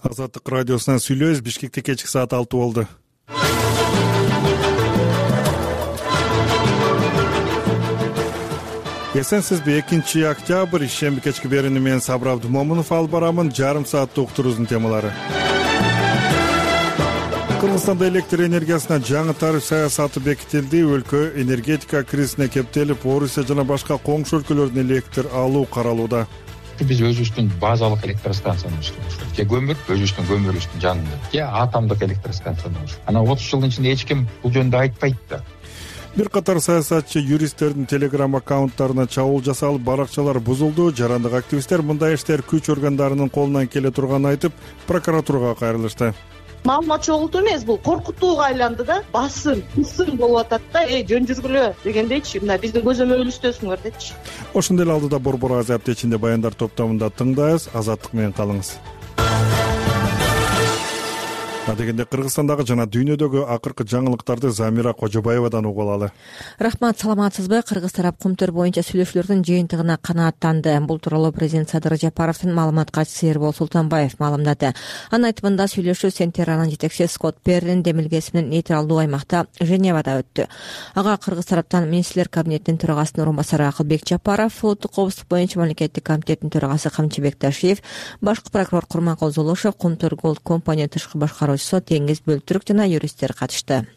Азаттык радиосунан сүйлөбүз. Бишкекте кечки саат 6 болду. Эсенсизби? 2-октябрь ишемби кечки берүүнү менен Сабыр Абдымомунов алып барамын. Жарым сааттык уктуруубуздун темалары. Кыргызстанда электр энергиясына жаңы тариф саясаты бекитилди. Өлкө энергетика кризисине кептелип, Орусия жана башка коңшу өлкөлөрдөн электр алуу каралууда. Биз өзүбүздүн базалык электростанцияны иштебиз. Же көмүр, өзүбүздүн көмүрүбүздүн жанында. Же атомдук электростанцияны. Анан 30 жылдын ичинде эч ким бул жөнүндө айтпайт да. Бир катар саясатчы юристтердин телеграм аккаунттарына чабуул жасалып, баракчалар бузулду. Жарандык активисттер мындай иштер күч органдарынын колунан келе турганын айтып, прокуратурага кайрылышты. Маалымат чогултуу эмес, бул коркутууга айланды да. Басым болуп атат да, жөн жүргүлө дегендейчи. Мына биздин көзөмөлүбүздөсүңөр депчи. Ошондой эле алдыда Борбор Азия аптечинде баяндар топтомунда тыңдайбыз. Азаттык менен калыңыз. Дегенде Кыргызстандагы жана дүйнөдөгү акыркы жаңылыктарды Замира Кожобаевадан угуп алалы. Рахмат, саламатсызбы? Кыргыз тарап Кумтөр боюнча сүйлөшүүлөрдүн жыйынтыгына канааттанды. Бул тууралуу президент Садыр Жапаровдун маалымат катчысы Эрбол Султанбаев маалымдады. Анын айтымында сүйлөшүү Сентеранын жетекчиси Скотт Перрин демилгеси менен нейтралдуу аймакта Женевада өттү. Ага Кыргыз тараптан министрлер кабинетинин төрагасынын орун басары Акылбек Жапаров, улуттук коопсуздук боюнча мамлекеттик комитеттин төрагасы Камчыбек Ташиев, башкы прокурор Курманкул Золушев, Кумтөр Голд компания тышкы башкаруучусу Теңиз Бөлтүрүк жана юристтер катышты.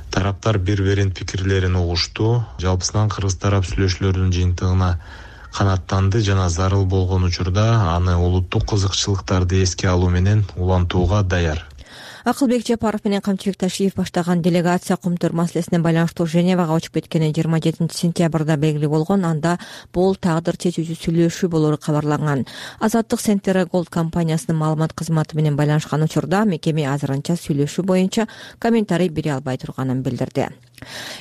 Тараптар бири-биринин пикирлерин угушту. Жалпысынан Кыргыз тарап сүйлөшүүлөрдүн жыйынтыгына канааттанды жана зарыл болгон учурда аны улуттук кызыкчылыктарды эске алуу менен улантууга даяр. Акылбек Жапаров менен Камчыбек Ташиев баштаган делегация Кумтөр маселесине байланыштуу Женевага учуп кеткени 27 сентябрда белгилүү болгон. Анда бул тагдыр чечүүчү сүйлөшүү болору кабарланган. Азаттык Центр Голд компаниясынын маалымат кызматы менен байланышкан учурда мекеме азырынча сүйлөшүү боюнча комментарий бере албай турганын билдирди.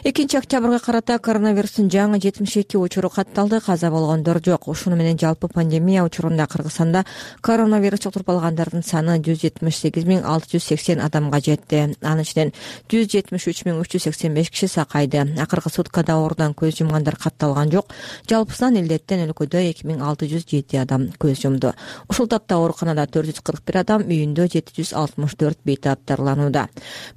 2-октябрга карата коронавирустун жаңы 72 учуру катталды. Каза болгондор жок. Ушуну менен жалпы пандемия учурунда Кыргызстанда коронавирус жуктуруп алгандардын саны 178.680 адамга жетти. Анын ичинен 173.385 киши сакайды. Акыркы суткада оорудан көз жумгандар катталган жок. Жалпысынан илдеттен өлкөдө 2607 адам көз жумду. Ушул тапта ооруканада 441 адам, үйүндө 764 бейтап дарыланууда.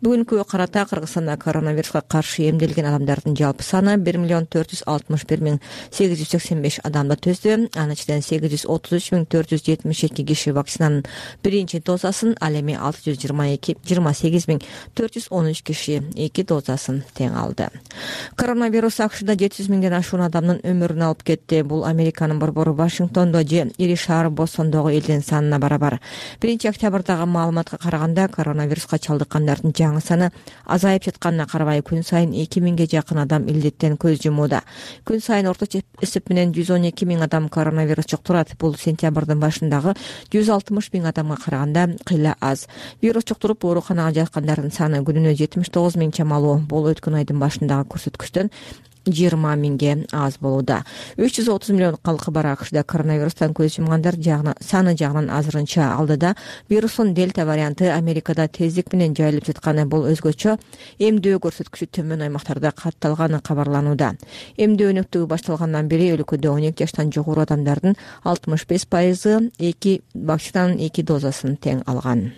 Бүгүнкү карата Кыргызстанда коронавируска каршы эмделген адамдардын жалпы саны 1.461.885 адамды түздү. Анын ичинен 833.472 киши вакцинанын биринчи дозасын, ал эми 628.413 киши 2 дозасын тең алды. Коронавирус АКШда 700 миңден ашуун адамдын өмүрүн алып кетти. Бул Американын борбору Вашингтондо же ири шаар Бостондогу элдин санына барабар. 1-октябрдагы маалыматка караганда коронавируска чалдыккандардын жаңы саны азайып жатканына карабай күн сайын 2000ге жакын адам илдеттен көз жумууда. Күн сайын орточо эсеп менен 112 миң адам коронавирус жуктурат. Бул сентябрдын башындагы 160 миң адамга караганда кыйла аз. Вирус жуктуруп ооруканага жаткандардын саны күнүнө 79 миң чамалуу. Бул өткөн айдын башындагы көрсөткүчтөн 20 миңге аз болууда. 330 миллион калкы бар АКШда коронавирустан көз жумгандар саны жагынан азырынча алдыда. Вирустун дельта варианты Америкада тездик менен жайылып жатканы, бул өзгөчө эмдөө көрсөткүчү төмөн аймактарда катталганы кабарланууда. Эмдөө өнөктүгү башталгандан бери өлкөдө 12 жаштан жогору адамдардын 65% 2 вакцинанын 2 дозасын тең алган.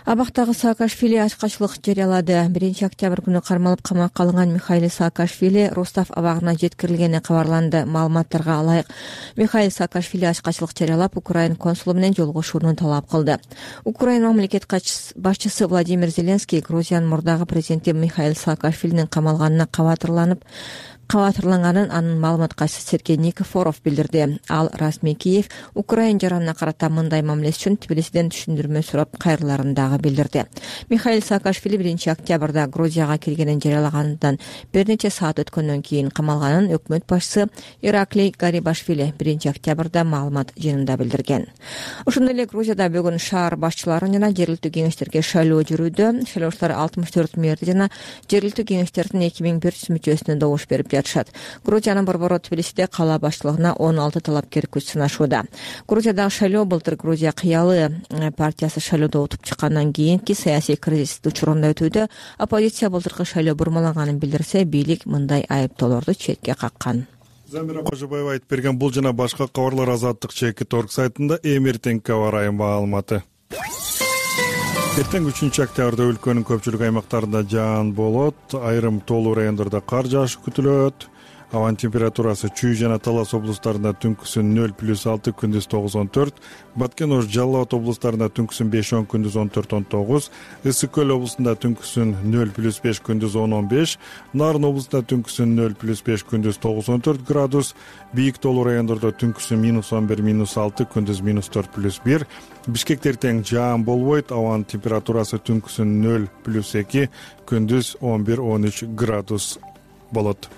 Абактагы Саакашвили ачкачылык жарыялады. 1-октябрь күнү кармалып камакка алынган Михаил Саакашвили Ростов абагына жеткирилгени кабарланды. Маалыматтарга ылайык, Михаил Саакашвили ачкачылык жарыялап, Украина консулу менен жолугушууну талап кылды. Украина мамлекет башчысы Владимир Зеленский Грузиянын мурдагы президенти Михаил Саакашвилинин камалганына кабатырланганын анын маалымат катчысы Сергей Никифоров билдирди. Ал расмий Киев Украина жаранына карата мындай мамилеси үчүн Тбилисиден түшүндүрмө сурап кайрыларын дагы билдирди. Михаил Саакашвили 1-октябрда Грузияга келгенин жарыялагандан бир нече саат өткөндөн кийин камалганын өкмөт башчысы Ираклий Гарибашвили 1-октябрда маалымат жыйынында билдирген. Ошондой эле Грузияда бүгүн шаар башчылары жана жергиликтүү кеңештерге шайлоо жүрүүдө. Шайлоочулар 64 мэрди жана жергиликтүү кеңештердин 2100 мүчөсүнө добуш берип жатышат. Грузиянын борбору Тбилисиде кала баштылыгына 16 талапкер күч сынашууда. Грузиядагы шайлоо былтыр Грузия кыялы партиясы шайлоодо утуп чыккандан кийинки саясий кризис учурунда өтүүдө. Оппозиция былтыркы шайлоо бурмалаганын билдирсе, бийлик мындай айыптоолорду четке каккан. Замира Кожобаева айтып берген бул жана башка кабарлар Азаттык ЧК.org сайтында эртеңки аба ырайы маалыматы. Эртең 3-октябрда өлкөнүн көпчүлүк аймактарында жаан болот, айрым тоолуу райондордо кар жаашы күтүлөт. Абанын температурасы Чүй жана Талас облустарында түнкүсүн 0+6, күндүз 9-14, Баткен Ош, Жалал Абад облустарында түнкүсүн 5-10, күндүз 14-19, Ысык көл облусунда түнкүсүн 0+5, күндүз 10-15, Нарын облусунда түнкүсүн 0+5, күндүз 9-14 градус, бийик тоолуу райондордо түнкүсүн -11, -6, күндүз -4+1, Бишкекте эртең жаан болбойт, абанын температурасы түнкүсүн 0+2, күндүз 11-13 градус болот.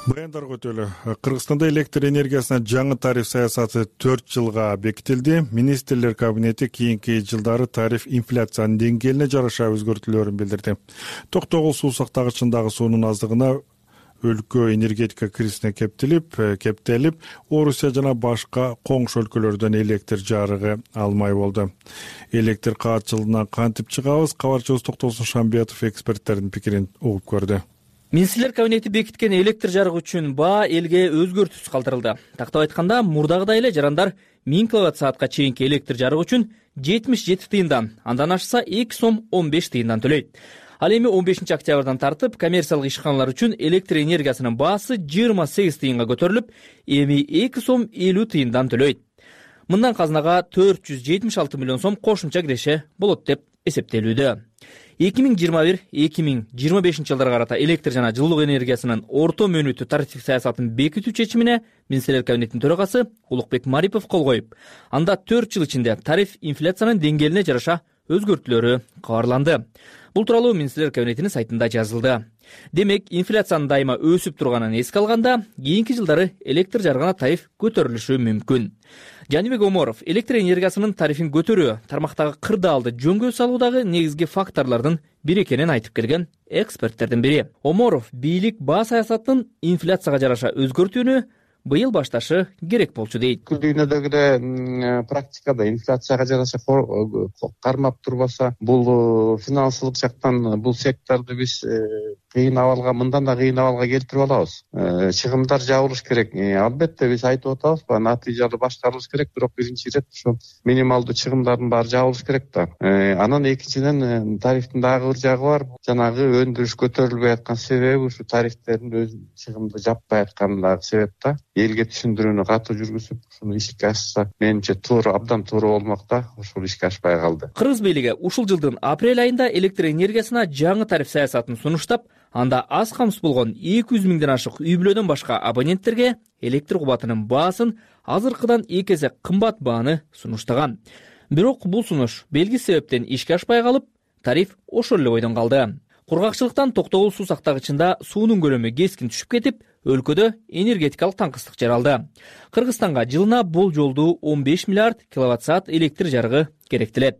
Баяндарга өтөлү. Кыргызстанда электр энергиясына жаңы тариф саясаты 4 жылга бекитилди. Министрлер кабинети кийинки жылдары тариф инфляциянын деңгээлине жараша өзгөртүүлөрүн билдирди. Токтогул суу сактагычындагы суунун аздыгына өлкө энергетика кризисине кептелип, Орусия жана башка коңшу өлкөлөрдөн электр жарыгы алмай болду. Электр каатчылыгынан кантип чыгабыз? Кабарчыбыз Токтосун Шамбиятов эксперттердин пикирин угуп көрдү. Министрлер кабинети бекиткен электр жарыгы үчүн баа элге өзгөртүүсүз калтырылды. Тактап айтканда, мурдагыдай эле жарандар 1000 киловатт-саатка чейинки электр жарыгы үчүн 77 тыйындан, андан ашса 2 сом 15 тыйындан төлөйт. Ал эми 15 октябрдан тартып коммерциялык ишканалар үчүн электр энергиясынын баасы 28 тыйынга көтөрүлүп, эми 2 сом 50 тыйындан төлөйт. Мындан казынага 476 миллион сом кошумча киреше болот деп эсептелүүдө. 2021-2025 жылдарга карата электр жана жылуулук энергиясынын орто мөөнөттүү тарифтик саясатын бекитүү чечимине Министрлер кабинетинин төрагасы Улукбек Марипов кол коюп, анда 4 жыл ичинде тариф инфляциянын деңгээлине жараша өзгөртүүлөрү кабарланды. Бул тууралуу Министрлер кабинетинин сайтында жазылды. Демек, инфляциянын дайыма өсүп турганын эске алганда, кийинки жылдары электр жарыгына тариф көтөрүлүшү мүмкүн. Жанибек Оморов электр энергиясынын тарифин көтөрүү, тармактагы кырдаалды жөнгө салуудагы негизги факторлордун бири экенин айтып келген эксперттердин бири. Оморов бийлик баа саясатынын инфляцияга жараша өзгөртүүнү быйыл башташы керек болчу дейт. Дүйнөдөгү эле практикада инфляцияга жараша кармап турбаса, бул финансылык жактан бул секторду биз кыйын абалга, мындан да кыйын абалга келтирип алабыз. Чыгымдар жабылыш керек. Албетте биз айтып атабыз, натыйжалуу башкарылыш керек, бирок биринчи ирет ушу минималдуу чыгымдардын баары жабылыш керек да. Анан экинчиден тарифтин дагы бир жагы бар. Жанагы өндүрүш көтөрүлбөй аткан себеби ушу тарифтердин өз чыгымды жаппай аткандагы себеп да. Элге түшүндүрүүнү катуу жүргүзүп, ушуну ишке ашса, менимче туура, абдан туура болмок да, ушул ишке ашпай калды. Кыргыз бийлиги ушул жылдын апрель айында электр энергиясына жаңы тариф саясатын сунуштап, анда аз камсыз болгон 200 миңден ашык үй бүлөдөн башка абоненттерге электр кубатынын баасын азыркыдан 2 эсе кымбат бааны сунуштаган. Бирок бул сунуш белгисиз себептен ишке ашпай калып, тариф ошол эле бойдон калды. Кургакчылыктан Токтогул суу сактагычында суунун көлөмү кескин түшүп кетип, өлкөдө энергетикалык таңкыстык жаралды. Кыргызстанга жылына болжолдуу 15 миллиард киловатт-саат электр жарыгы керектелет.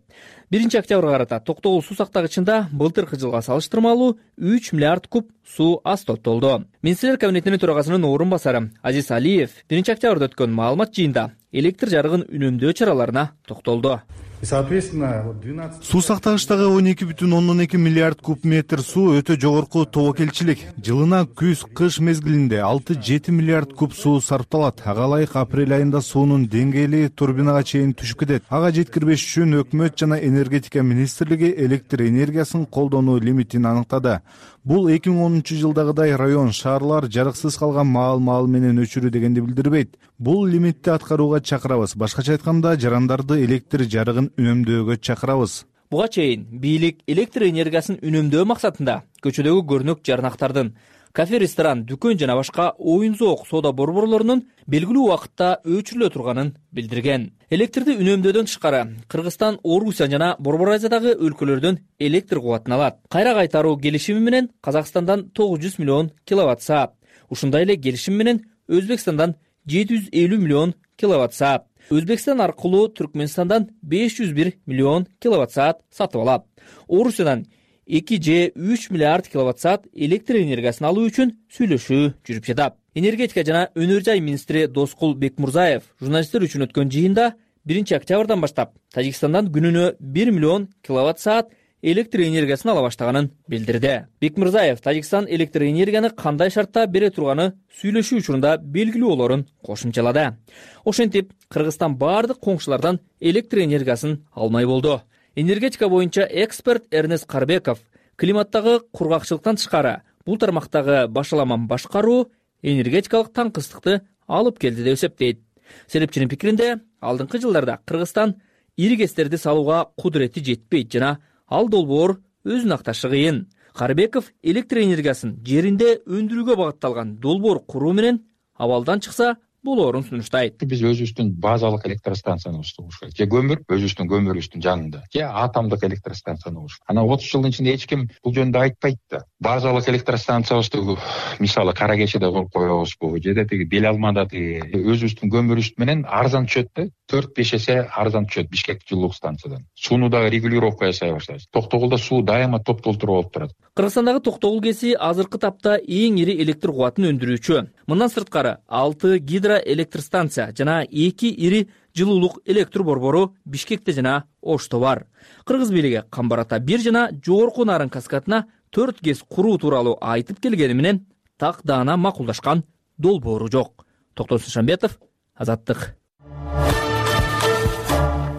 1 октябрга карата Токтогул суу сактагычында былтыркы жылга салыштырмалуу 3 миллиард куб суу аз топтолду. Министрлер кабинетинин төрагасынын орун басары Азиз Алиев 1 октябрда өткөн маалымат жыйында электр жарыгын үнөмдөө чараларына токтолду. Суу сактагычтагы 12,2 миллиард куб метр суу өтө жогорку тобокелчилик. Жылына күз, кыш мезгилинде 6-7 миллиард куб суу сарпталат. Ага ылайык апрель айында суунун деңгээли турбинага чейин түшүп кетет. Ага жеткирбеш үчүн өкмөт жана энергетика министрлиги электр энергиясын колдонуу лимитин аныктады. Бул 2010 жылдагыдай район, шаарлар жарыксыз калган маал менен өчүрүү дегенди билдирбейт. Бул лимитти аткарууга чакырабыз. Башкача айтканда, жарандарды электр жарыгын үнөмдөөгө чакырабыз. Буга чейин бийлик электр энергиясын үнөмдөө максатында көчөдөгү көрүнөк жарнактардын, кафе, ресторан, дүкөн жана башка оюн-зоок соода борборлорунун белгилүү убакытта өчүрүлө турганын билдирген. Электрди үнөмдөөдөн тышкары Кыргызстан, Орусия жана Борбор Азиядагы өлкөлөрдөн электр кубатын алат. Кайра кайтаруу келишими менен Казакстандан 900 миллион киловатт-саат. Ушундай эле келишим менен Өзбекстандан 750 миллион киловатт-саат. Өзбекстан аркылуу Түркмөнстандан 501 миллион киловатт-саат сатып алат. Орусиядан 2 же 3 миллиард киловатт-саат электр энергиясын алуу үчүн сүйлөшүү жүрүп жатат. Энергетика жана өнөр жай министри Доскул Бекмурзаев журналисттер үчүн өткөн жыйында 1 октябрдан баштап Тажикстандан күнүнө 1 миллион киловатт-саат электр энергиясын ала баштаганын билдирди. Бекмырзаев Тажикстан электр энергияны кандай шартта бере турганы сүйлөшүү учурунда белгилүү болорун кошумчалады. Ошентип, Кыргызстан бардык коңшулардан электр энергиясын алмай болду. Энергетика боюнча эксперт Эрнест Карбеков климаттагы кургакчылыктан тышкары бул тармактагы башаламан башкаруу энергетикалык таңкыстыкты алып келди деп эсептейт. Серепчинин пикиринде, алдыңкы жылдарда Кыргызстан ири КЭСтерди салууга кудурети жетпейт жана ал долбоор өзүн акташы кыйын. Карбеков электр энергиясын жеринде өндүрүүгө багытталган долбоор куруу менен абалдан чыкса болоорун сунуштайт. Биз өзүбүздүн базалык электростанцияны курушубуз керек. Же өзүбүздүн көмүрүбүздүн жанында, же атомдук электростанцияны курушубуз. Ана 30 жылдын ичинде эч ким бул жөнүндө айтпайт да. Базалык электростанциябызды мисалы Кара Кечиде куруп коебузбу, же тиги Бел Алмада өзүбүздүн көмүрүбүз менен арзан түшөт да. 4-5 эсе арзан түшөт Бишкек жылуулук станциядан. Сууну дагы регулировка жасай баштайбыз. Токтогулда суу дайыма топ-толтура болуп турат. Кыргызстандагы Токтогул КЭСи азыркы тапта эң ири электр кубатын өндүрүүчү. Мындан сырткары 6 гидроэлектростанция жана 2 ири жылуулук электр борбору Бишкекте жана Ошто бар. Кыргыз бийлиги Камбар-Ата 1 жана Жогорку Нарын каскадына 4 КЭС куруу тууралуу айтып келгени менен так даана макулдашкан долбоору жок. Токтор Сушанбетов, Азаттык.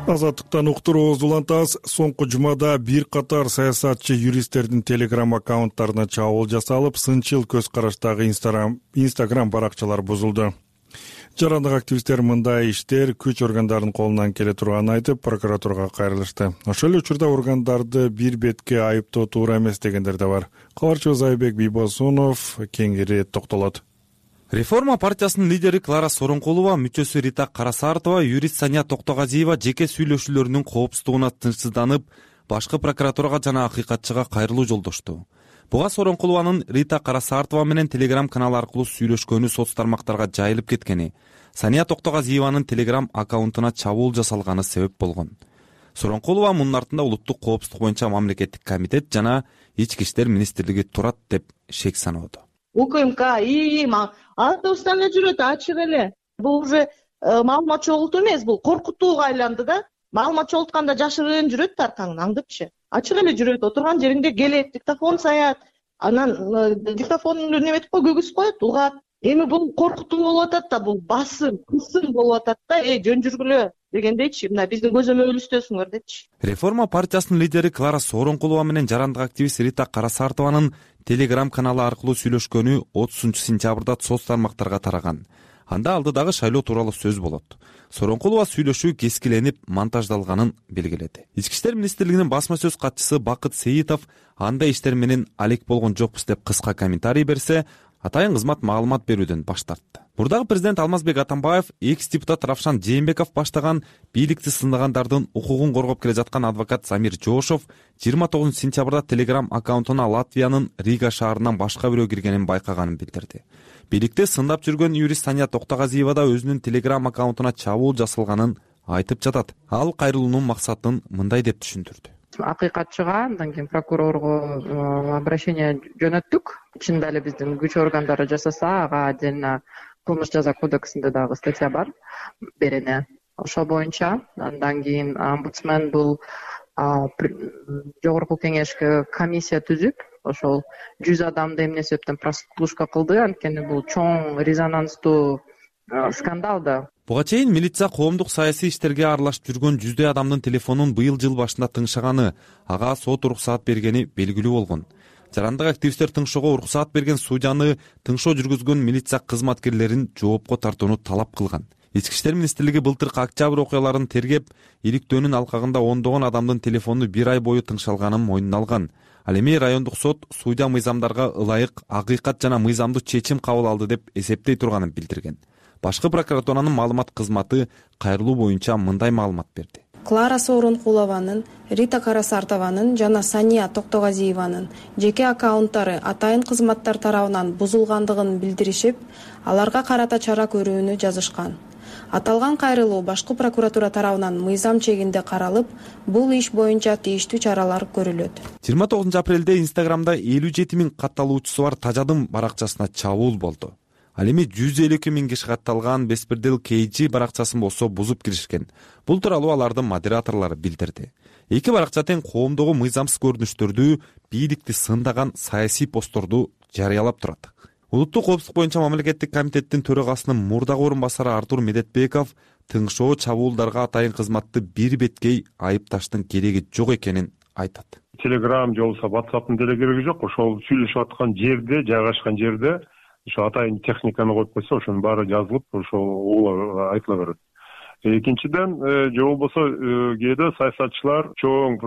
Азаттыктан уктуруубузду улантабыз. Соңку жумада бир катар саясатчы юристтердин Telegram аккаунттарына чабуул жасалып, сынчыл көз караштагы Instagram баракчалар бузулду. Жарандык активисттер мындай иштер күч органдарынын колунан келе турганын айтып, прокуратурага кайрылышты. Ошол эле учурда органдарды бир бетке айыптоо туура эмес дегендер да бар. Кабарчыбыз Айбек Бийбосунов кеңири токтолот. Реформа партиясынын лидери Клара Сооронкулова, мүчөсү Рита Карасартова, юрист Сания Токтогазиева жеке сүйлөшүүлөрүнүн коопсуздугуна тынчсызданып, башкы прокуратурага жана акыйкатчыга кайрылуу жолдошту. Буга Сооронкулованын Рита Карасартова менен Telegram каналы аркылуу сүйлөшкөнү соц тармактарга жайылып кеткени, Сания Токтогазиеванын Telegram аккаунтуна чабуул жасалганы себеп болгон. Сооронкулова мунун артында улуттук коопсуздук боюнча мамлекеттик комитет жана Ички иштер министрлиги турат деп шек саноодо. УКМК автобустан эле жүрөт, ачык эле. Бул уже маалымат чогултуу эмес, бул коркутууга айланды да. Маалымат чогултканда жашырын жүрөт аркаңан, аңдыпчы. Ачык эле жүрөт, отурган жеринде келет, диктофон саят, анан диктофонду неметип көгүзүп коет, угат. Эми бул коркутуу болуп атат да, бул басым, кысым болуп атат да, жөн жүргүлө дегендейчи, мына биздин көзөмөлүбүздөсүңөр депчи. Реформа партиясынын лидери Клара Сооронкулова менен жарандык активист Рита Карасартованын Telegram каналы аркылуу сүйлөшкөнү 30-сентябрда соц тармактарга тараган. Анда алдыдагы шайлоо тууралуу сөз болот. Сооронкулова сүйлөшүү кескиленип, монтаждалганын белгиледи. Ички иштер министрлигинин басма сөз катчысы Бакыт Сейитов андай иштер менен алек болгон жокпуз деп кыска комментарий берсе, атайын кызмат маалымат берүүдөн баш тартты. Мурдагы президент Алмазбек Атамбаев, экс-депутат Равшан Жээнбеков баштаган бийликти сындагандардын укугун коргоп келе жаткан адвокат Замир Жошов 29 сентябрда Telegram аккаунтуна Латвиянын Рига шаарынан башка бирөө киргенин байкаганын билдирди. Бийликте сындап жүргөн юрист Сания Токтогазиева да өзүнүн Telegram аккаунтуна чабуул жасалганын айтып жатат. Ал кайрылуунун максатын мындай деп түшүндүрдү. Акыйкатчыга, андан кийин прокурорго обращение жөнөттүк. Чында эле биздин күч органдары жасаса, ага отдельно кылмыш жаза кодексинде дагы статья бар, берене. Ошол боюнча андан кийин омбудсмен бул жогорку кеңешке комиссия түзүп, ошол 100 адамды эмне себептен прослушка кылды, анткени бул чоң резонанстуу скандал да. Буга чейин милиция коомдук саясий иштерге аралашып жүргөн 100 адамдын телефонун быйыл жыл башында тыңшаганы, ага сот уруксаат бергени белгилүү болгон. Жарандык активисттер тыңшоого уруксаат берген судьяны тыңшоо жүргүзгөн милиция кызматкерлерин жоопко тартууну талап кылган. Ички иштер министрлиги былтыркы октябрь окуяларын тергеп, иликтөөнүн алкагында ондогон адамдын телефону 1 ай бою тыңшалганын мойнуна алган. Ал эми райондук сот судья мыйзамдарга ылайык, акыйкат жана мыйзамдуу чечим кабыл алды деп эсептей турганын билдирген. Башкы прокуратуранын маалымат кызматы кайрылуу боюнча мындай маалымат берди. Клара Сооронкулованын, Рита Карасартованын жана Сания Токтогазиеванын жеке аккаунттары атайын кызматтар тарабынан бузулгандыгын билдиришип, аларга карата чара көрүүнү жазышкан. Аталган кайрылуу башкы прокуратура тарабынан мыйзам чегинде каралып, бул иш боюнча тийиштүү чаралар көрүлөт. 29 апрелде Инстаграмда 57 000 катталуучусу бар Тажадым баракчасына чабуул болду. Ал эми 152 миң киши катталган Беспредел KG баракчасын болсо бузуп киришкен. Бул тууралуу алардын модераторлору билдирди. Эки баракча тең коомдогу мыйзамсыз көрүнүштөрдү, бийликти сындаган саясий постторду жарыялап турат. Улуттук коопсуздук боюнча мамлекеттик комитеттин төрагасынын мурдагы орун басары Артур Медетбеков тыңшоо чабуулдарга атайын кызматты бир беткей айыпташтын кереги жок экенин айтат. Telegram же болбосо WhatsApp'тын деле кереги жок. Ошол сүйлөшүп аткан жерде, жайгашкан жерде ошо атайын техниканы коюп койсо, ошонун баары жазылып, ошол айтыла берет. Экинчиден, же болбосо кээде саясатчылар чоң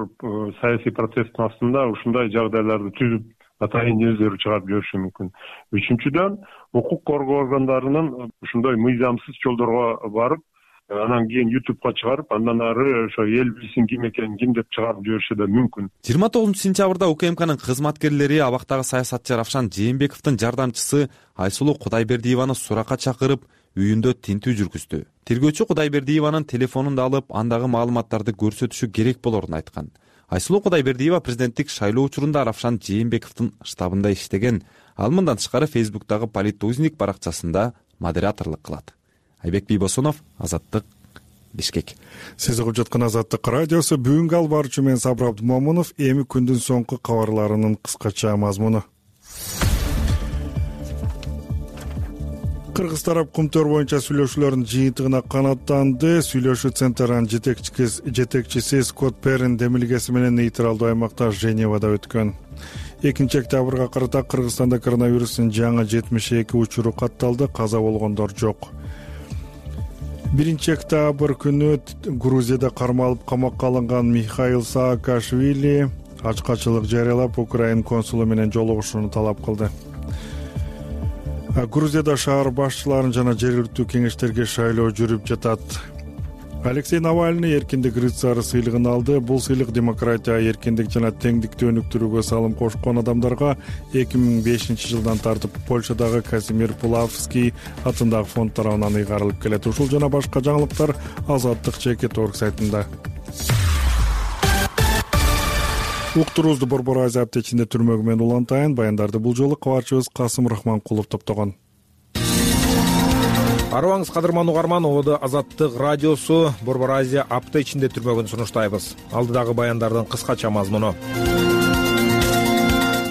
саясий протесттин астында ушундай жагдайларды түзүп атайын өздөрү чыгарып жибериши мүмкүн. Үчүнчүдөн, укук коргоо органдарынын ушундай мыйзамсыз жолдорго барып, анан кийин YouTube'га чыгарып, андан ары ошо эл билсин ким экенин, ким деп чыгарып жибериши да мүмкүн. 29-сентябрда УКМКнын кызматкерлери абактагы саясатчы Равшан Жээнбековдун жардамчысы Айсулуу Кудайбердиеваны суракка чакырып, үйүндө тинтүү жүргүздү. Тергөөчү Кудайбердиеванын телефонун да алып, андагы маалыматтарды көрсөтүшү керек болорун айткан. Айсулуу Кудайбердиева президенттик шайлоо учурунда Равшан Жээнбековдун штабында иштеген. Ал мындан тышкары Фейсбуктагы Политузник баракчасында модераторлук кылат. Айбек Бийбосунов, Азаттык, Бишкек. Сиз угуп жаткан Азаттык радиосу. Бүгүнкү албарчы мен Сабыр Абдымомунов. Эми күндүн соңку кабарларынын кыскача мазмуну. Кыргыз тарап Кумтөр боюнча сүйлөшүүлөрдүн жыйынтыгына канаттанды. Сүйлөшүү центринин жетекчиси Скотт Перрин демилгеси менен нейтралдуу аймакта Женевада өткөн. 2-октябрга карата Кыргызстанда коронавирустун жаңы 72 учуру катталды, каза болгондор жок. 1-октябрь күнү Грузияда кармалып камакка алынган Михаил Саакашвили ачкачылык жарыялап, Украин консулу менен жолугушууну талап кылды. Грузияда шаар башчыларын жана жергиликтүү кеңештерге шайлоо жүрүп жатат. Алексей Навальный эркиндик рыцары сыйлыгын алды. Бул сыйлык демократия, эркиндик жана теңдикти өнүктүрүүгө салым кошкон адамдарга 2005 жылдан тартып Польшадагы Казимир Пулавский атындагы фонд тарабынан ыйгарылып келет. Ушул жана башка жаңылыктар Азаттык.org сайтында. Уктуруубузду Борбор Азия аптечинде түрмөгү менен улантайын. Баяндарды бул жолу кабарчыбыз Касым Рахманкулов топтогон. Арыбаңыз кадырман угарман, ободу Азаттык радиосу Борбор Азия апта ичинде түрмөгүн сунуштайбыз. Алдыдагы баяндардын кыскача мазмуну.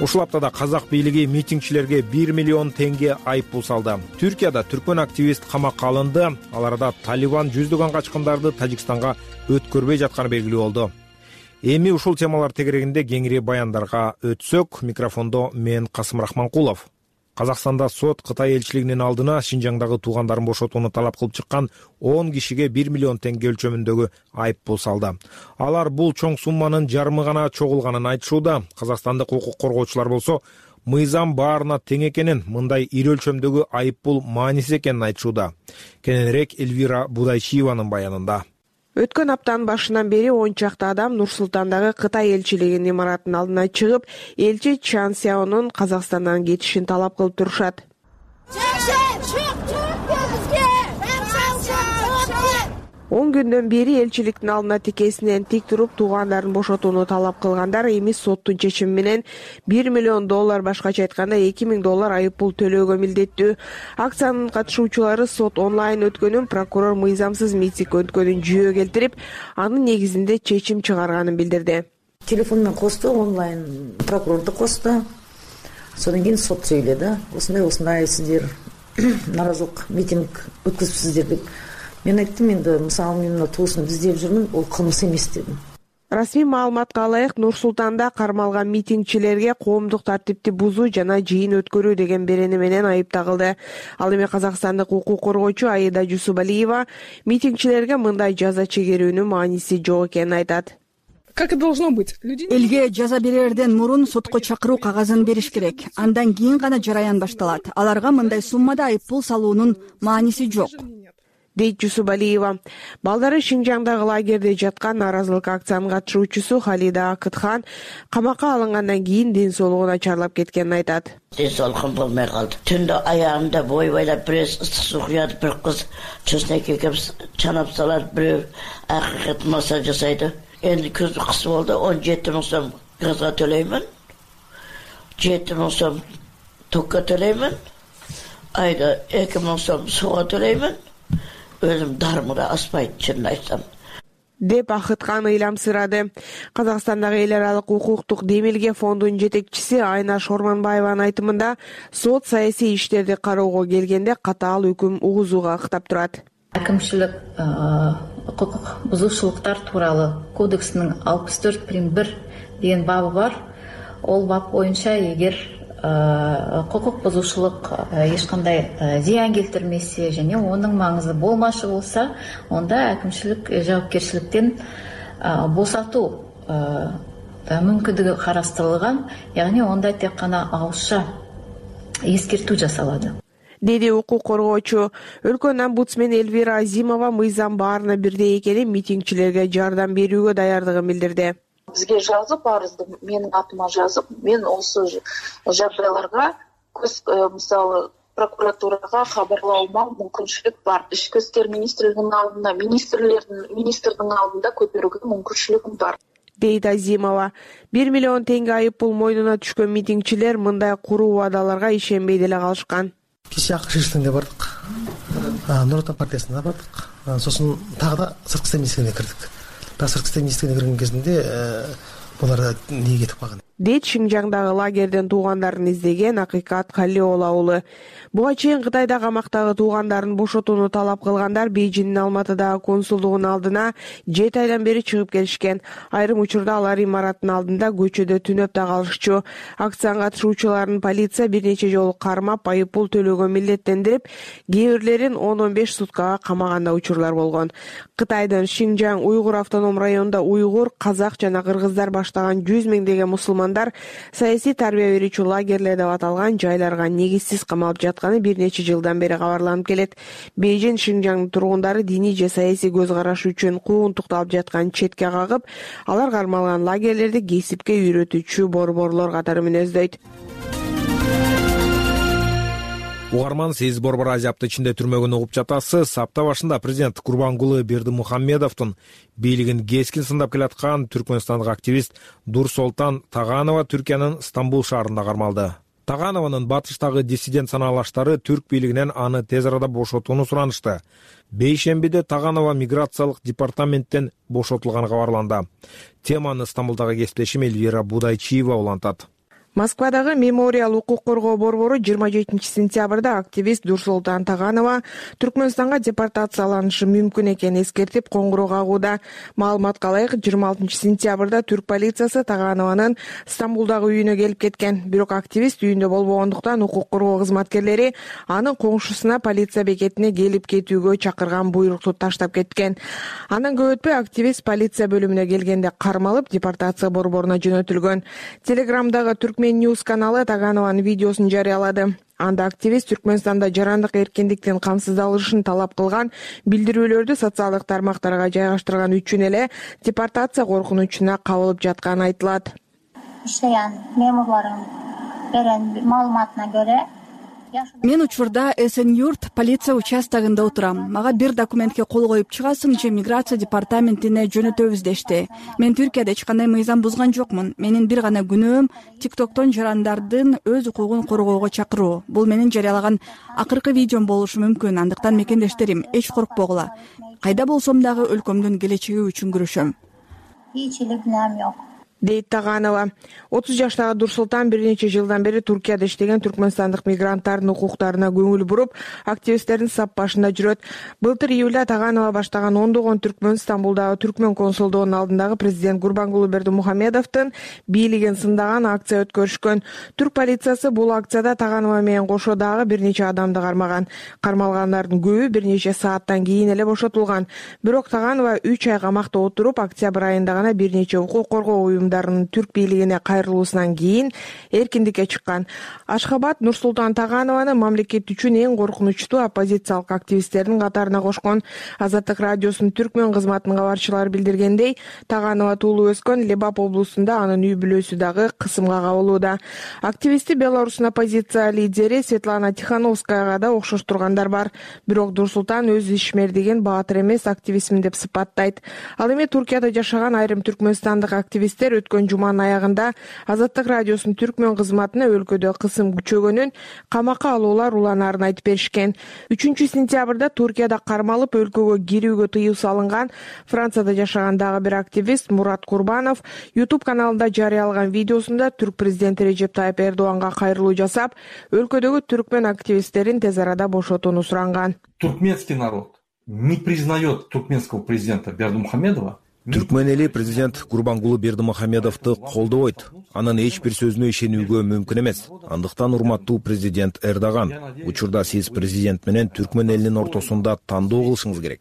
Ушул аптада казак бийлиги митингчилерге 1 миллион теңге айыппул салды. Түркияда түркмөн активист камакка алынды. Ал арада Талибан жүздөгөн качкындарды Тажикстанга өткөрбөй жатканы белгилүү болду. Эми ушул темалар тегерегинде кеңири баяндарга өтсөк, микрофондо мен Касым Рахманкулов. Казакстанда сот Кытай элчилигинин алдына Шинжаңдагы туугандарын бошотууну талап кылып чыккан 10 кишиге 1 миллион теңге өлчөмүндөгү айыппул салды. Алар бул чоң сумманын жарымы гана чогулганын айтышууда. Казакстандык укук коргоочулар болсо мыйзам баарына тең экенин, мындай ири өлчөмдөгү айыппул маанисиз экенин айтышууда. Кененирээк Эльвира Будайчиеванын баянында. Өткөн аптанын башынан бери 10 чакты адам Нур-Султандагы Кытай элчилигинин имаратынын алдына чыгып, элчи Чан Сяонун Казакстандан кетишин талап кылып турушат. 10 күндөн бери элчиликтин алдына тикесинен тик туруп туугандарын бошотууну талап кылгандар эми соттун чечими менен $1 миллион, башкача айтканда $2,000 айыппул төлөөгө милдеттүү. Акциянын катышуучулары сот онлайн өткөнүн, прокурор мыйзамсыз митинг өткөнүн жүйө келтирип, анын негизинде чечим чыгарганын билдирди. Телефон менен косту, онлайн прокурорду косту. Содан кийин сот сүйлөдү. Осундай сиздер наразылык митинг өткөзүпсүздөр деп. Мен айттым, енді мысалы мен туысын издеп жүрмүн, ол кылмыс эмес дедим. Расмий маалыматка ылайык, Нур-Султанда кармалган митингчилерге коомдук тартипти бузуу жана жыйын өткөрүү деген берени менен айып тагылды. Ал эми казакстандык укук коргоочу Аида Жусубалиева митингчилерге мындай жаза чегерүүнүн мааниси жок экенин айтат. Как и должно быть. Элге жаза берерден мурун сотко чакыруу кагазын бериш керек. Андан кийин гана жараян башталат. Аларга мындай суммада айыппул салуунун мааниси жок, дейт Жусубалиева. Балдары Шинжаңдагы лагерде жаткан наразылык акциянын катышуучусу Халида Акытхан камакка алынгандан кийин ден соолугу начарлап кеткенин айтат. Ден соолугум болмой калды. Түндө аягымда бойбайлап бир ыстык суу куят, бир кыз чөстөк экеп чанап салат, бирөө акыйкат массаж жасайды. Энди көзү кысы болду, 17 000 сом газга төлөймүн. 7 000 сом токко төлөймүн. айда 2000 сом сууга төлөймүн. Өзүм дарымыра аспайт, чынын айтсам. Деп Акыткан ыйламсырады. Казакстандагы эл аралык укуктук демилге фондунун жетекчиси Айнаш Орманбаеванын айтымында сот саясий иштерди кароого келгенде катаал өкүм угузууга ыктап турат. Әкімшілік құқық бұзушылықтар туралы кодексінің 64.1 деген бабы бар. Ол бап бойынша егер құқық бұзушылық ешқандай зиян келтірмесе және оның маңызы болмашы болса, онда әкімшілік жауапкершіліктен босату мүмкіндігі қарастырылған, яғни онда тек қана ауызша ескерту жасалады. Деди укук коргоочу. Өлкөнүн омбудсмени Эльвира Азимова мыйзам баарына бирдей экенин, митингчилерге жардам берүүгө даярдыгын билдирди. Бизге жазып, арызды менин атыма жазып, мен осы жагдайларга мисалы прокуратурага кабарлоомо мүмкүнчүлүк бар. Ички иштер министрлигинин алдында, министрдин алдында көтөрүүгө мүмкүнчүлүгүм бар. Дейт Азимова. 1 миллион теңге айыппул мойнуна түшкөн митингчилер мындай куруу убадаларга ишенбей деле калышкан. Кеше акы шишиңде бардык. Нур Отан партиясына бардык. Сосын тагы да сырткы иштер министрлигине кирдик. Сырткы иштер министрлигине кирген кезинде булар эмнеге кетип калган? Дейт Шинжаңдагы лагерден туугандарын издеген Акыйкат Калиола уулу. Буга чейин Кытайда камактагы туугандарын бошотууну талап кылгандар Бейжиңдин Алматыдагы консулдугунун алдына 7 айдан бери чыгып келишкен. Айрым учурда алар имараттын алдында көчөдө түнөп да калышчу. Акцияга катышуучуларын полиция бир нече жолу кармап, айыппул төлөөгө милдеттендирип, кээ бирлерин 10-15 суткага камаган да учурлар болгон. Кытайдын Шинжаң уйгур автоном районунда уйгур, казак жана кыргыздар баштаган 100 миңдеген мусулмандар саясий тарбия берүүчү лагерлер деп аталган жайларга негизсиз камалып жатканы бир нече жылдан бери кабарланып келет. Бейжиң Шинжаңдын тургундары диний же саясий көз карашы үчүн куугунтукту алып жаткан четке кагып, алар кармалган лагерлерди кесипке үйрөтүүчү борборлор катары мүнөздөйт. Угарман, сиз Борбор Азия апта ичинде түрмөгөн угуп жатасыз. Апта башында президент Курбангулы Бердимухамедовдун бийлигин кескин сындап келаткан түркмөнстандык активист Дурсолтан Таганова Түркиянын Стамбул шаарында кармалды. Таганованын батыштагы диссидент санаалаштары түрк бийлигинен аны тез арада бошотууну суранышты. Бейшембиде Таганова миграциялык департаменттен бошотулганы кабарланды. Теманы Стамбулдагы кесиптешим Эльвира Будайчиева улантат. Москвадагы Мемориал укук коргоо борбору 27 сентябрда активист Дурсолтан Таганова Түркмөнстанга депортацияланышы мүмкүн экенин эскертип коңгуроо кагууда. Маалыматка ылайык, 26 сентябрда түрк полициясы Таганованын Стамбулдагы үйүнө келип кеткен. Бирок активист үйүндө болбогондуктан укук коргоо кызматкерлери анын коңшусуна полиция бекетине келип кетүүгө чакырган буйрукту таштап кеткен. Андан көп өтпөй активист полиция бөлүмүнө келгенде кармалып, депортация борборуна жөнөтүлгөн. Телеграмдагы News каналы Таганованын видеосун жарыялады. Анда активист Түркмөнстанда жарандык эркиндиктин камсыздалышын талап кылган билдирүүлөрдү социалдык тармактарга жайгаштырган үчүн эле депортация коркунучуна кабылып жатканы айтылат. Меморлорун берен маалыматына көрө мен учурда Эсен-Юрт полиция участогунда отурам. Мага бир документке кол коюп чыгасың же миграция департаментине жөнөтөбүз дешти. Мен Түркияда эч кандай мыйзам бузган жокмун. Менин бир гана күнөөм TikToктон жарандардын өз укугун коргоого чакыруу. Бул менин жарыялаган акыркы видеом болушу мүмкүн. Андыктан мекендештерим, эч коркпогула. Кайда болсом дагы өлкөмдүн келечеги үчүн күрөшөм. Эч эле күнөөм жок. Дейт Таганова. 30 жаштагы Дурсултан бир нече жылдан бери Түркияда иштеген түркмөнстандык мигранттардын укуктарына көңүл буруп, активисттердин сап башында жүрөт. Былтыр июлда Таганова баштаган ондогон түркмөн Стамбулдагы түркмөн консулдугунун алдындагы президент Курбангулы Бердимухамедовдун бийлигин сындаган акция өткөрүшкөн. Түрк полициясы бул акцияда Таганова менен кошо дагы бир нече адамды кармаган. Кармалгандардын көбү бир нече сааттан кийин эле бошотулган. Бирок Таганова 3 ай камакта отуруп, октябрь айында гана бир нече укук коргоо түрк бийлигине кайрылуусунан кийин эркиндикке чыккан. Ашхабад Нурсултан Таганованы мамлекет үчүн эң коркунучтуу оппозициялык активисттердин катарына кошкон. Азаттык радиосунун түркмөн кызматынын кабарчылары билдиргендей, Таганова туулуп өскөн Лебап облусунда, анын үй бүлөсү дагы кысымга кабылууда. Активисти Беларустун оппозиция лидери Светлана Тихановскаяга да окшош тургандар бар. Бирок Нурсултан өз ишмердигин баатыр эмес активистмин деп сыпаттайт. Ал эми Туркияда жашаган айрым түркмөнстандык активисттер өткөн жуманын аягында Азаттык радиосунун түркмөн кызматына өлкөдө кысым күчөгөнүн, камакка алуулар уланаарын айтып беришкен. 3-сентябрда Туркияда кармалып өлкөгө кирүүгө тыюу салынган Францияда жашаган дагы бир активист Мурат Курбанов YouTube каналында жарыялаган видеосунда түрк президенти Режеп Тайып Эрдоганга кайрылуу жасап, өлкөдөгү түркмөн активисттерин тез арада бошотууну суранган. Туркменский народ не признает туркменского президента Бердымухамедова. Түркмөн эли президент Курбангулы Бердымухамедовду колдобойт. Анын эч бир сөзүнө ишенүүгө мүмкүн эмес. Андыктан урматтуу президент Эрдоган, учурда сиз президент менен түркмөн элинин ортосунда тандоо кылышыңыз керек.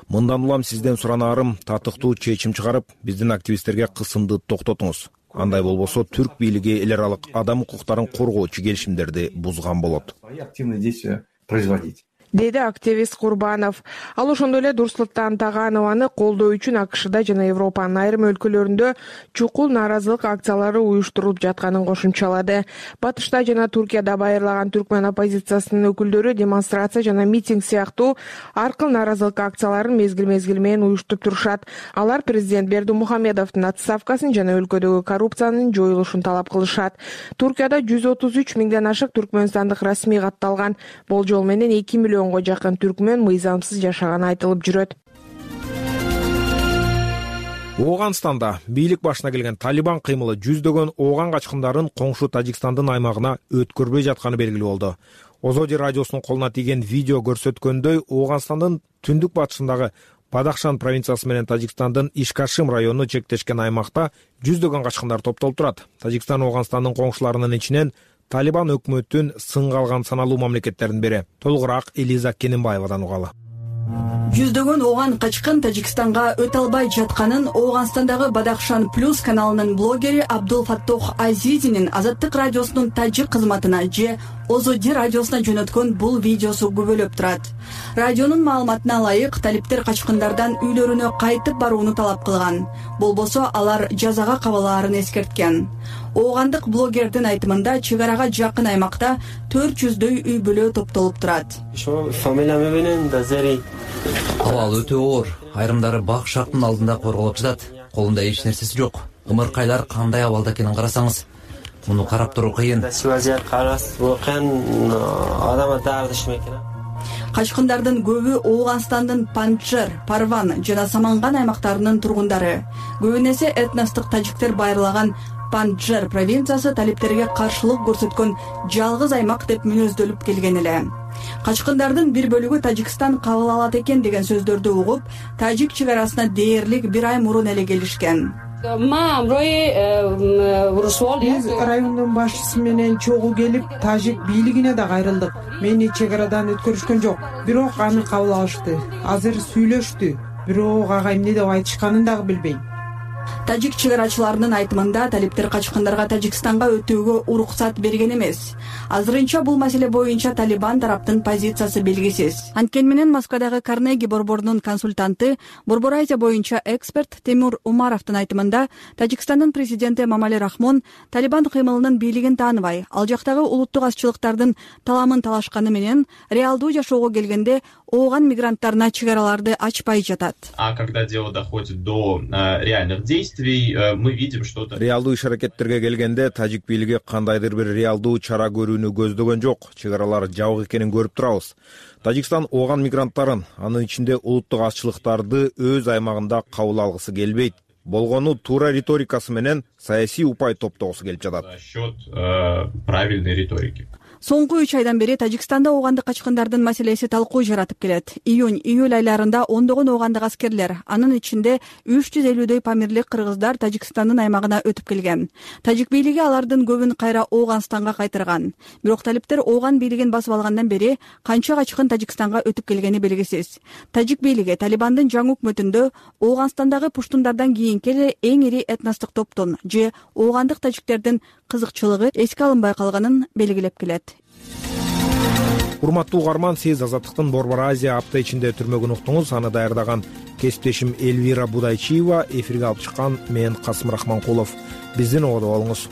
Мындан улам сизден суранаарым татыктуу чечим чыгарып, биздин активисттерге кысымды токтотуңуз. Андай болбосо түрк бийлиги эл аралык адам укуктарын коргоочу келишимдерди бузган болот. Активные действия производить. Деди активист Курбанов. Ал ошондой эле Нурсултан Таганованы колдоо үчүн АКШда жана Европанын айрым өлкөлөрүндө чукул нааразылык акциялары уюштурулуп жатканын кошумчалады. Батышта жана Туркияда байырлаган түркмөн оппозициясынын өкүлдөрү демонстрация жана митинг сыяктуу ар кыл нааразылык акцияларын мезгил менен уюштуруп турушат. Алар президент Бердымухамедовдун отставкасын жана өлкөдөгү коррупциянын жоюлушун талап кылышат. Туркияда 133 миңден ашык түркмөнстандык расмий катталган. Болжол менен 2 миллионго жакын түркмөн мыйзамсыз жашаганы айтылып жүрөт. Ооганстанда бийлик башына келген Талибан кыймылы жүздөгөн ооган качкындарын коңшу Тажикстандын аймагына өткөрбөй жатканы белгилүү болду. Озоди радиосунун колуна тийген видео көрсөткөндөй, Ооганстандын түндүк батышындагы Бадахшан провинциясы менен Тажикстандын Ишкашим району чектешкен аймакта жүздөгөн качкындар топтолуп турат. Тажикстан Ооганстандын коңшуларынын ичинен Талибан өкмөтүн сынга алган саналуу мамлекеттердин бири. Толугураак Элиза Кененбаевадан угалы. Жүздөгөн ооган качкын Тажикстанга өтө албай жатканын Ооганстандагы Бадахшан Плюс каналынын блогери Абдул Фаттох Азизинин Азаттык радиосунун тажик кызматына же Озоди радиосуна жөнөткөн бул видеосу күбөлөп турат. Радионун маалыматына ылайык, талиптер качкындардан үйлөрүнө кайтып барууну талап кылган. Болбосо алар жазага кабылаарын эскерткен. Оогандык блогердин айтымында чыгарага жакын аймакта 400дөй үй бүлө топтолуп турат. Абал өтө оор. Айрымдары бак шактын алдында корголуп жатат. Колунда эч нерсеси жок. Ымыркайлар кандай абалда экенин карасаңыз, муну карап туруу кыйын. Качкындардын көбү Ооганстандын Панчжер, Парван жана Саманган аймактарынын тургундары. Көбүнесе этностук тажиктер байырлаган Панчжер провинциясы талиптерге каршылык көрсөткөн жалгыз аймак деп мүнөздөлүп келген эле. Качкындардын бир бөлүгү Тажикстан кабыл алат экен деген сөздөрдү угуп, тажик чыгарасына дээрлик бир ай мурун эле келишкен. Биз райондун башчысы менен чогуу келип, тажик бийлигине да кайрылдык. Мени чек арадан өткөрүшкөн жок, бирок аны кабыл алышты. Азыр сүйлөштү, бирок ага эмне деп айтышканын дагы билбейм. Тажик чыгарачыларынын айтымында талиптер качкындарга Тажикстанга өтүүгө уруксат берген эмес. Азырынча бул маселе боюнча Талибан тараптын позициясы белгисиз. Анткени менен Москвадагы Карнеги борборунун консультанты, Борбор Азия боюнча эксперт Темур Умаровдун айтымында Тажикстандын президенти Эмомали Рахмон Талибан кыймылынын бийлигин тааныбай, ал жактагы улуттук азчылыктардын таламын талашканы менен реалдуу жашоого келгенде ооган мигранттарына чыгараларды ачпай жатат. А когда дело доходит до реальных действий, мы видим, что реалдуу иш-аракеттерге келгенде тажик бийлиги кандайдыр бир реалдуу чара көрүүнү көздөгөн жок. Чыгаралар жабык экенин көрүп турабыз. Тажикстан ооган мигранттарын, анын ичинде улуттук азчылыктарды өз аймагында кабыл алгысы келбейт. Болгону туура риторикасы менен саясий упай топтогусу келип жатат. За счет правильной риторики. Соңку 3 айдан бери Тажикстанда оогандык качкындардын маселеси талкуу жаратып келет. Июнь-июль айларында ондогон оогандык аскерлер, анын ичинде 350дөй памирлик кыргыздар Тажикстандын аймагына өтүп келген. Тажик бийлиги алардын көбүн кайра Ооганстанга кайтарган. Бирок талиптер ооган бийлигин басып алгандан бери канча качкын Тажикстанга өтүп келгени белгисиз. Тажик бийлиги Талибандын жаңы өкмөтүндө Ооганстандагы пуштундардан кийинки эле эң ири этностук топтун же оогандык тажиктердин кызыкчылыгы эске алынбай калганын белгилеп келет. Урматтуу угарман, сиз Азаттыктын Борбор Азия апта ичинде түрмөгүн уктуңуз. Аны даярдаган кесиптешим Элвира Будайчиева, эфирге алып чыккан мен Касым Рахманкулов. Биздин ободо болуңуз.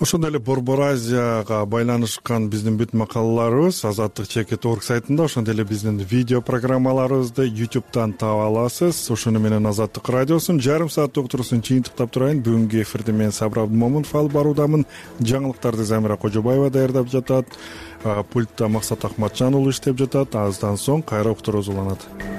ошондой эле Борбор Азияга байланышкан биздин бүт макалаларыбыз Азаттык.org сайтында, ошондой эле биздин видео программаларыбызды YouTube'дан таап аласыз. Ошону менен Азаттык радиосунун жарым сааттык уктуруусун жыйынтыктап турайын. Бүгүнкү эфирди мен Сабыр Абдымомунов алып баруудамын. Жаңылыктарды Замира Кожобаева даярдап жатат. Пультта Максат Акматжан уулу иштеп жатат. Аздан соң кайра уктуруубуз уланат.